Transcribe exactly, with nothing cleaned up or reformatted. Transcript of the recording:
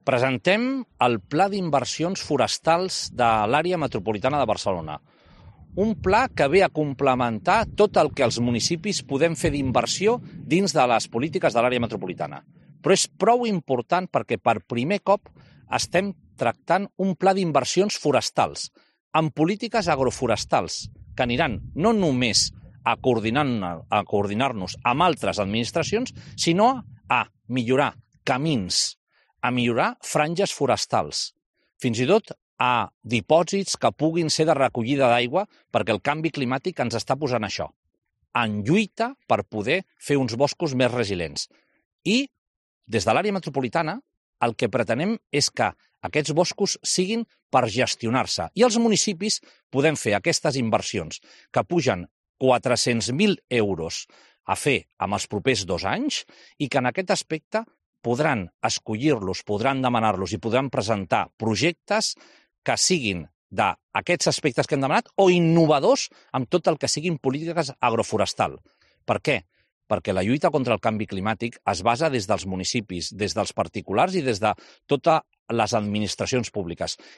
Presentem el Pla d'Inversions Forestals de l'Àrea Metropolitana de Barcelona. Un pla que ve a complementar tot el que els municipis podem fer d'inversió dins de les polítiques de l'àrea metropolitana. Però és prou important perquè per primer cop estem tractant un pla d'inversions forestals, amb polítiques agroforestals, que aniran no només a coordinar- a coordinar-nos amb altres administracions, sinó a millorar camins, a millorar franges forestals, fins i tot a dipòsits que puguin ser de recollida d'aigua, perquè el canvi climàtic ens està posant això, en lluita per poder fer uns boscos més resilients. I des de l'àrea metropolitana el que pretenem és que aquests boscos siguin per gestionar-se i els municipis podem fer aquestes inversions que pugen quatre-cents mil euros a fer amb els propers dos anys i que en aquest aspecte podran escollir-los, podran demanar-los i podran presentar projectes que siguin d'aquests aspectes que hem demanat o innovadors amb tot el que siguin polítiques agroforestal. Per què? Perquè la lluita contra el canvi climàtic es basa des dels municipis, des dels particulars i des de totes les administracions públiques.